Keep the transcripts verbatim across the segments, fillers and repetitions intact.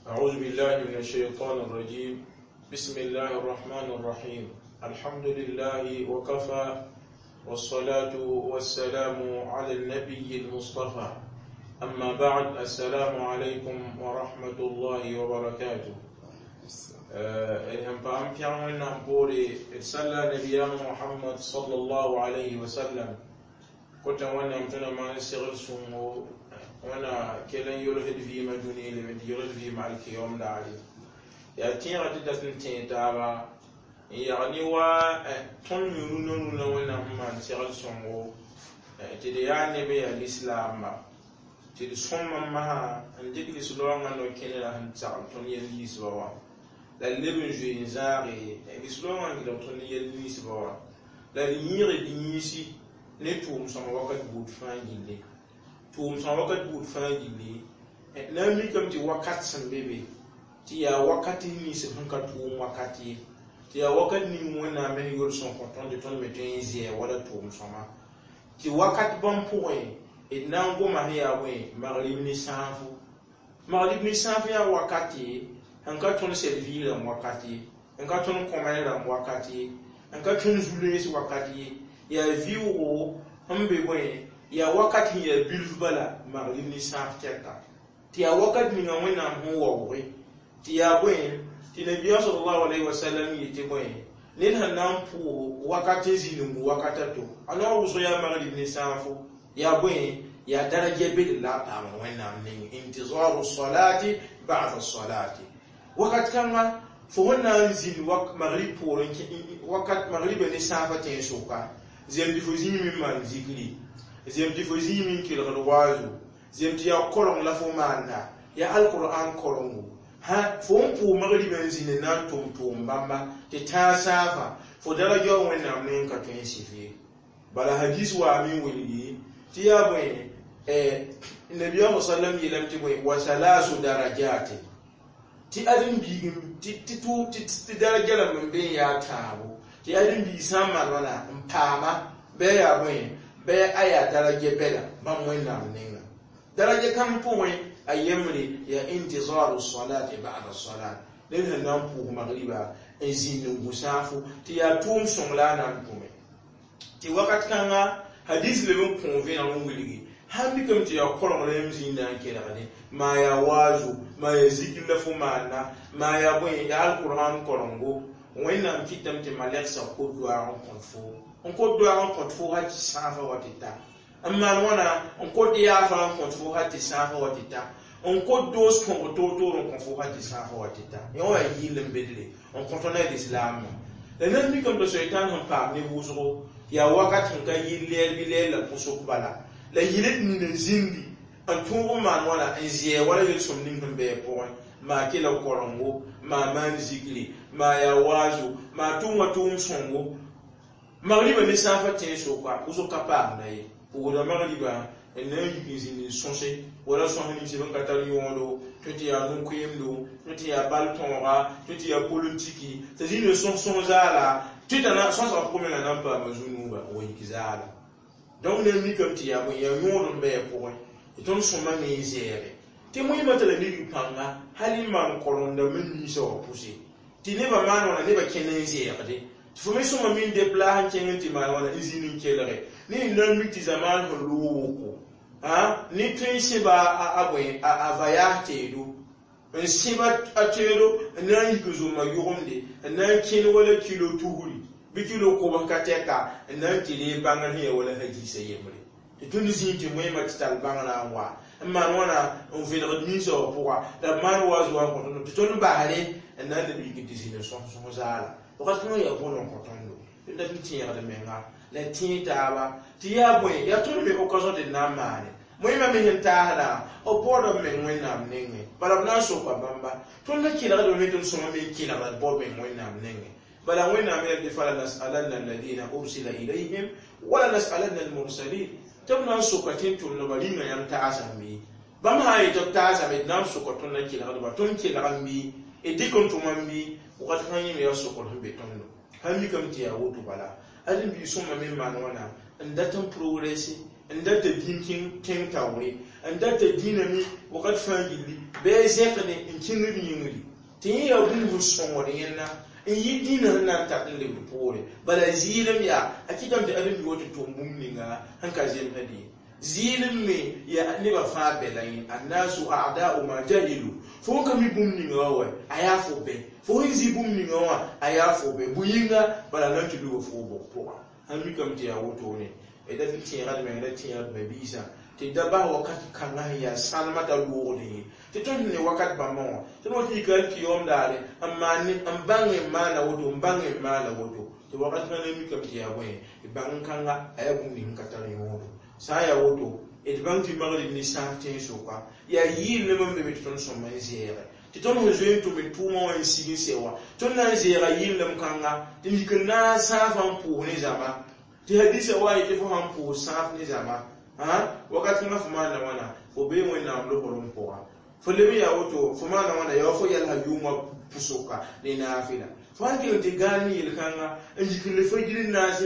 أعوذ بالله من الشيطان الرجيم. بسم الله الرحمن الرحيم. الحمد لله وكفى، والصلاة والسلام على النبي المصطفى. أما بعد، السلام عليكم ورحمة الله وبركاته. هم paam pɛg Wẽnnaam poore d salla nabiyaam Mohamad sallallahu alayhi wa sallam kota Wẽnnaam tõe na maan segl sõngo wẽna kell n yolsd vɩɩmã dũni leme tɩ yolsd vɩɩmã alkiyom daare. Yaa tẽegã tɩ dat n tẽeg taaba n yag ne wa tõnd me rũnã rũnã Wẽnnaam sẽn maan segl sõngo tɩ d yaa neb n yaa lislaamba tɩ d sõma n masã n dɩk lislaoongã no-kẽnerã sẽn sagl tõnd yel ninsba wã la leb n zoe n zãage lislaoongã n gɩlg tõnd yel ninsba wã la d yẽege d yĩnsi ne tʋʋm sõma wakat buud fãa gilli, tʋʋm sõma wakat buud fãa gilli. Na n mikame tɩ wakat sẽn be be tɩ yaa wakat nins sẽn ka tʋʋm wakat ye, tɩ yaa wakat ning Wẽnnaam sẽn yol sõn kõ tõnd tɩ tõnd me tõe n zɛɛ wala tʋʋm sõma tɩ wakat bãmb pʋgẽ d na n goma sẽn yaa bõe magrib ne sãafo. Magrib ne sãaf yaa wakate n ka tõnd sɛd rãmb wakat ye, n ka tõnd kõmɛs rãmb wakat ye, n ka tõnd zu-rẽes wakat ye, yaa vɩʋʋgo sẽn be bõe yaa wakat sẽn yaa bilf bala magrib ne sãaf tɛka tɩ yaa wakat ninga Wẽnnaam sẽn waooge tɩ yaa bõe tɩ nabiyaam sallallahu alaihi wasallam yetɩ bõe ned sẽn na n pʋʋs wakat n zĩnd n gu wakat a to a noog wʋsg yaa magrib ne sãafo yaa bõe yaa daraja bed la a paam Wẽnnaam neng intizaru salati ba'da salati. Wakat kãnga fo sẽn na n zĩnd magrib poorẽ wakat magriba ne sãafã tẽn sʋka zem tɩ fo zĩime n maan zikri, zem tɩ fo zĩime n kelgd waazu, zem tɩ yaa koreng la fo maanda yaa alqur'an korengo ha fo n pʋʋg magriba n zĩnd n na n tʋm tʋʋm bãmba tɩ tãag sãafã fo daraja wa Wẽnnaam neng ka tõe n sɩf ye. Bala hadis waame n wilgi tɩ yaa bõe nabiyaam sallam yeelame tɩ bõe wa salasu darajatin tɩ ãdem-biig tɩ daraja rãmb n be n yaa tãabo tɩ ãdem-biig sã n maan wãna n paama bɩ a yaa bõe bɩ a yaa daraja bɛda bãmb Wẽnnaam nenga daraja kãng pʋgẽ a yembre yaa intizaru salati ba'da salat ned sẽn na n pʋʋs magriba n zĩnd n gu sãafo tɩ yaa tʋʋm sõng la a na n tʋme tɩ wakat kãnga hadis leb n kõ vẽneg n wilgi sãn mikame tɩ yaa koreng la yãmb zĩnda n kelgde maa yaa waazo maa yaa zikr la fo maanda maa yaa bõe yaa alqur'an korengo Wẽnnaam kɩtame tɩ malɛksa kot doaag n kõt fo n kot doaag n kõt fo hal tɩ sãafã wa tɩ ta n maan wãna n kot yaafa n kõt fo hal tɩ sãafã wa tɩ ta n kot doos kõg toor-toor n kõ fo hal tɩ sãafã wa tɩ ta yõ wã yɩɩl n bedre n kõ tõnd a lislaamã la nan mikame tɩ soitan sẽn paam ne wʋsgo yaa wakat sẽn ka yɩl lɛɛl bɩ lɛɛl la pʋsg bala la yɩl d nin n zĩndi n tõog n maan wãna n zɛɛ wala yel-sõm ning sẽn bɩ a pʋgẽ maa kela korengo maa maan zikri maa yaa waazo maa tʋʋmã tʋʋm sõngo magriba ne sãafã tẽn soka wʋsg ka paamda ye pʋgda magriba n na n yik n zĩnd n sõse wala sõs nins sẽn ka tar yõodo tõe tɩ yaa no-koeemdo tõe tɩ yaa bal tõoga tõe tɩ yaa politiki t'a zĩnd n sõs sõs zaala tɩ t'a sõsga pʋgẽ menga na n paama zu-nuuba n wa yik zaala. Donc na n mikame tɩ yaa bõe yaa yõod n bɩ a pʋgẽ tɩ tõnd sõma me n zɛɛge tɩ moẽmã t'a la nigr pãnga hal n maan korengdãmb n ninsã wã pʋse tɩ nebã maan wãna nebã kẽnd n zɛɛgde tɩ fo me sõma me n deplas n kẽng n tɩ maan wãna n zĩnd n kelge ne n na n mik tɩ zamaan sẽn loog woko ne tõe n sẽba a bõe a voyage teedo n sẽba a teedo n na n yik n zomã yʋgemde n na n kẽnd wala kilo tugri bɩ kilo kobs ka tɛka n na n tɩ reeg bãngr sẽn yaa wala hadiisã yembre tɩ tõnd zĩig tɩ moẽmã tɩ tall bãngrã n wa n maan wãna n vẽlgd minsã wã pʋga la b maan wa zoa n kõ tõndo tɩ tõnd basre n na n leb yik tɩ zĩnd n sõs sõs zaala wakat kãngã yaa bõn n kõ tõndo tɩ dat n tẽegd menga la tẽeg taaba tɩ yaa bõe yaa tõnd me occasion tɩ d na n maane moẽmã me sẽn taasdã b baood b meng Wẽnnaam nengẽ bala b na n soka bãmba tõnd na kelgdame me tõnd sõma me n kelgda d baood meng Wẽnnaam nengẽ bala Wẽnnaam yaa tɩ fala nasalanna alladina ursila ilayhim wala nasalanna almursalin tɩ b na n soka tẽn tʋmdbã rĩnga yãmb taasame bãmb sã n yetɩ b taasame d na n soka tõnd na kelgdba tõnd kelgame bɩ d dɩk n tʋmame bɩ wakat kãng yẽ me yaa sokr sẽn be tõndo sãn mikame tɩ yaa woto bala ãdem-biig sõma me n maan wãna n dat n progresse. N data dĩin tẽng taoore, n data dĩinã me wakat fãa gilli bɩ a zẽk ne n kẽngd yĩngri tɩ yẽ yaa bũmb sẽn sõngd yẽnda n yɩ dĩinã sẽn na n tat n lebd poore. Bala zɩɩlem yaa a kɩtame tɩ ãdem-bi wa tɩ tʋm bũmb ninga sẽn ka zemsd ye. Zɩɩlem me yaa nebã fãa bɛla yẽ, annasu a'da'u ma jahilu. Fo n ka mi bũmb ninga wã wa, a yaa fo bɛ. Fo sẽn zĩ bũmb ninga wã, a yaa fo bɛ. Bʋ-yĩnga bala na n tɩ luga fo bʋg pʋga. Sãn mikame tɩ yaa wotone, d dat n tẽega d meng, la tẽeg d ma-biisã tɩ da bas wakat kãngã sẽn yaa sãnemã t'a loogd ye, tɩ tõnd sẽn ne wakat bãmbã wã, tõnd wa tɩ yika n tɩ yaoom daare n maan n bãng n maana woto, n bãng n maana woto, tɩ wakat kãngã mikame tɩ yaa bõe, d bãng kãnga a yaa bũmb ning sẽn ka tar yõodo. Sã n yaa woto, d bãng tɩ magrib ne sãaf tẽn-soka yaa yɩɩl ne bãmb be tɩ tõnd sõma n zɛɛge, tɩ tõnd sẽn zoe n tʋm d tʋʋmã wã n sig n sɛ wã, tõnd na n zɛɛga yɩllem kãnga tɩ yik n na n sãafã n pʋʋs ne zãma, tɩ hadisa wa yetɩ fo sãn pʋʋs sãaf ne zãma wakat kãngã fo maanda wãna, fo bee Wẽnnaam lobrem pʋga. Fo leb n yaa woto, fo maanda wãna, yaa wa fo yalsa yʋʋmã pʋsʋka ne naafɩla. Fo sãn kell n tɩ gãan ne yel-kãnga n yik n le fajir n naas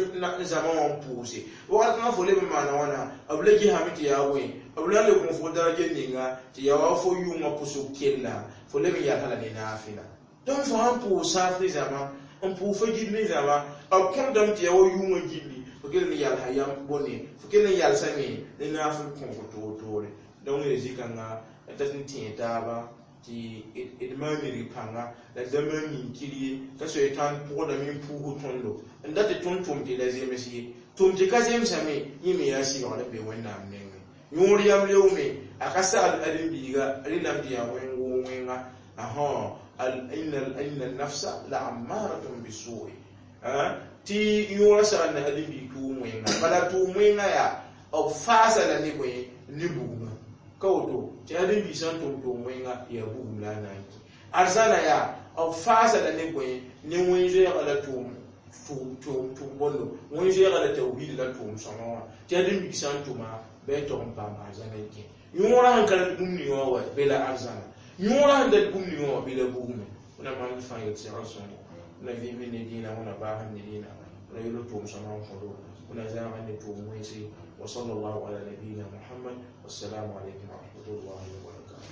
zãma wã n pʋʋse, wakat kãngã fo leb n maana wãna, b la gesame tɩ yaa bõe, b la n le kõ fo daraja ninga tɩ yaa wa fo yʋʋmã pʋsʋk kella, fo leb n yalsa la ne naafɩla. Donc fo sãn pʋʋs sãaf ne zãma, n pʋʋs fajir ne zãma, b kõtdame tɩ yaa wa yʋʋmã gilli, fo kell n yalsa yam bõne, fo kell n yalsame ne naafɩl kõgo toor-toore. Donc d zĩ-kãnga dat n tẽeg taaba tɩ d maan mirg pãnga la d da maan yĩnkir ye, ka soe tãn pʋgdame n puusd tõndo n dat tɩ tõnd tʋm tɩ la zems ye. Tʋm tɩ ka zemsame, yẽ me yaa sɩbgr n be Wẽnnaam nengẽ. Yõor yam leoome a ka sagl ãdem-biiga rẽndame tɩ yaa wẽn-goog wẽnga. Inna nafsa la ammaratun bisu'i, tɩ yõorã saglda ãdem-biig tʋʋm wẽnga, bala tʋʋm wẽnga yaa b faasa la ne bõe, ne bugmã ka woto, tɩ ãdem-biig sã n tʋm tʋʋm wẽnga yaa bugum la a na n kẽ. Arzãna yaa b faasa la ne bõe, ne wẽn-zoɛɛga la tʋʋm tʋʋm bõndo, wẽn-zoɛɛga la tawhiid la tʋʋm sõma wã, tɩ ãdem-biig sã n tʋma bɩ a tog n paam arzãna n kẽ. Yõorã sẽn ka rat bũmb ninga wã wa, be la arzãna. Yõorã sẽn dat bũmb ninga wã, bɩ la bugme. Wẽnnaam maan d fãa yel segl sõngo, wẽnna vɩɩm ne dĩinã, wẽnna baasem ne dĩinã, wẽnna yel tʋʋm sõma n kõdo, wẽnna zãagã ne tʋʋm wẽnse. Wa sallallahu ala nabiyina Muhammad. Wassalamu alaykum wa rahmatullahi wa barakatuh.